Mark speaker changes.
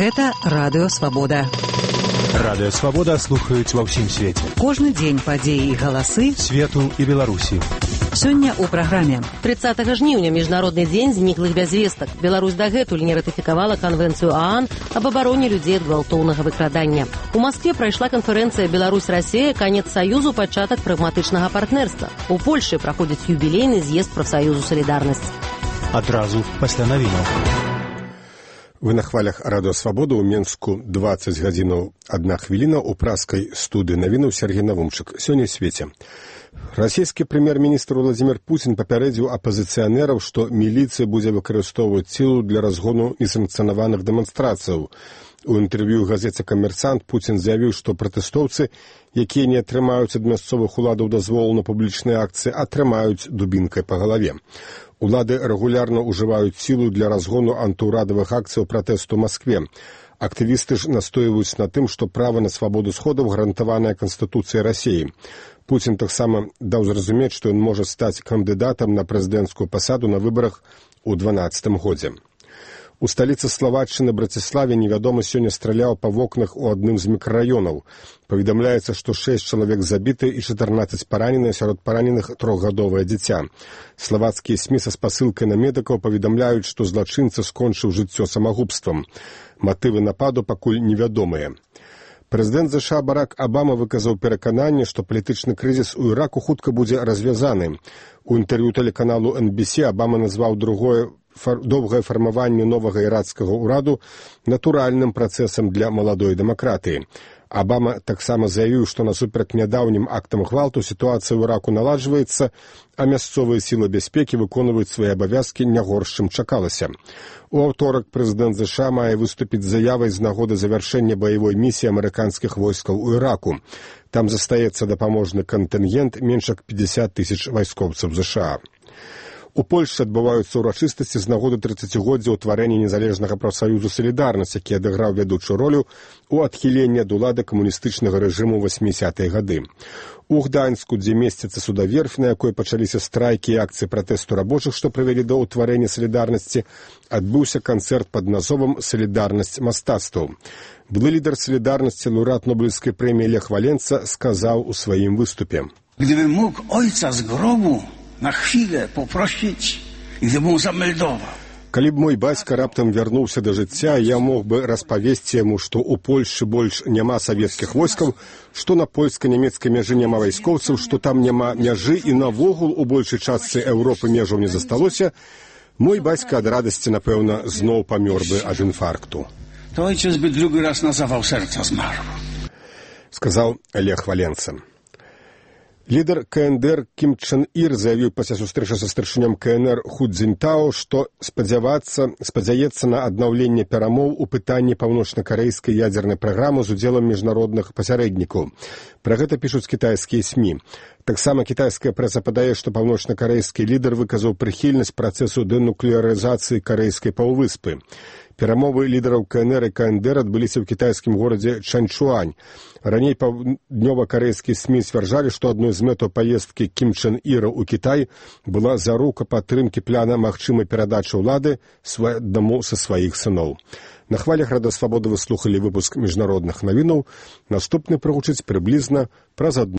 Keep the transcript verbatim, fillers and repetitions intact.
Speaker 1: Гэта Радыё Свабода.
Speaker 2: Радыё Свабода слухаюць ва ўсім свеце.
Speaker 1: Кожны дзень падзеі і галасы
Speaker 2: свету і Беларусі.
Speaker 1: Сёння ў праграме.
Speaker 3: тридцатага жніўня міжнародны дзень зніклых без вестак. Беларусь дагэтуль не ратыфікавала канвенцыю ААН аб абароне людзей ад гвалтоўнага выкрадання. У Маскве прайшла канферэнцыя Беларусь-Расія «Канец саюзу, пачатак прагматычнага партнерства». У Польшы праходзіць юбілейны з'езд прафсаюзу «Салідарнасць».
Speaker 2: Адразу пасля навінаў.
Speaker 4: Вы на хвалях Радыё Свабода. У Менску дваццаць гадзінаў адна хвіліна. У праскай студыі навінаў Сергей Навумчык. Сёння ў свеце. Расійскі прэм'ер-міністр Владзімір Пуцін папярэдзіў апазіцыянераў, што міліцыя будзе выкарыстоўваць сілу для разгону несанкцыянаваных дэманстрацыяў. У інтэрв'ю газеце «Камерсант» Пуцін заявіў, што пратэстоўцы, якія не атрымаюць ад мясцовых уладаў дазволу на публічныя акцыі, атрымаюць дубінкай па галаве. Улады рэгулярна ўжываюць сілу для разгону антыўрадавых акцыяў пратэсту ў Маскве. Актывісты ж настойваюць на тым, што права на свабоду сходаў гарантаванае Канстытуцыяй Расіі. Пуцін таксама даў зразумець, што ён можа стаць кандыдатам на прэзідэнцкую пасаду на выбарах у дванаццатым годзе. У сталіцы Славаччыны Браціславе невядомы сёння страляў па вокнах у адным з мікрараёнаў. Паведамляецца, што шэсць чалавек забіты і чатырнаццаць паранены, сярод параненых трохгадовае дзіця. Славацкія СМІ са спасылкай на медыкаў паведамляюць, што злачынца скончыў жыццё самагубствам. Матывы нападу пакуль невядомыя. Прэзідэнт ЗША Барак Абама выказаў перакананне, што палітычны крызіс у Іраку хутка будзе развязаны. У інтэрв'ю тэлеканалу эн би си Абама назваў другое фар... доўгае фармаванне новага ірацкага ўраду натуральным працэсам для маладой дэмакратыі. Абама таксама заявіў, што насуперак нядаўнім актам гвалту сітуацыя ў Іраку наладжваецца, а мясцовыя сілы бяспекі выконваюць свае абавязкі не горш, чым чакалася. У аўторак прэзідэнт ЗША мае выступіць з заявай з нагоды завяршэння баявой місіі амерыканскіх войскаў у Іраку. Там застаецца дапаможны кантынгент менш як пятьдесят тысяч вайскоўцаў ЗША. У Польшчы адбываюцца ўрачыстасці з нагоды трыццацігоддзя ўтварэння незалежнага прафсаюзу «Салідарнасць», які адыграў вядучую ролю ў адхіленні ад улады камуністычнага рэжыму ў васьмідзесятыя гады. У Гданьску, дзе месціцца судаверфь, на якой пачаліся страйкі і акцыі пратэсту рабочых, што прывялі да ўтварэння «Салідарнасці», адбыўся канцэрт пад назвом «Салідарнасць мастацтваў». Былы лідар «Салідарнасці», лаўрэат Нобелевскай прэміі Лех Валенца сказаў у сваім выступе:
Speaker 5: «Gdybym mógł ojca z grobu na chwilę poprosić i gdyby mu zameldował».
Speaker 4: Калі б мой бацька раптам вярнуўся да жыцця, я мог бы распавесці яму, што ў Польшчы больш няма савецкіх войскаў, што на польска-нямецкай мяжы няма вайскоўцаў, што там няма мяжы і навогул у большай частцы Еўропы межаў не засталося, мой бацька ад радасці, напэўна, зноў памёр бы ад інфаркту.
Speaker 5: To ojciec by drugi raz na zawał serca zmarł.
Speaker 4: Сказаў Лех Валенца. Лідар КНДР Кім Чен Ір заявіў пасля сустрэчы са старшынём КНР Ху Цзіньтао, што спадзявацца, спадзяецца на аднаўленне перамоў у пытанні паўночна-карэйскай ядзернай праграмы з удзелам міжнародных пасярэднікаў. Пра гэта пішуць кітайскія СМІ. Таксама кітайская прэса падае, што паўночна-карэйскі лідар выказаў прыхільнасць працэсу дэнуклеарызацыі карэйскай паўвыспы. Перамовы лідараў КНР і КНДР адбыліся ў кітайскім горадзе Чанчуань. Раней паўднёва-карэйскія СМІ сцвярджалі, што адной з мэтаў паездкі Кім Чен Іра ў Кітай была зарука падтрымкі пляна магчымай перадачы ўлады аднаму са сваіх сыноў. На хвалях Радыё Свабода вы слухалі выпуск міжнародных навінаў. Наступны прагучыць прыблізна праз адну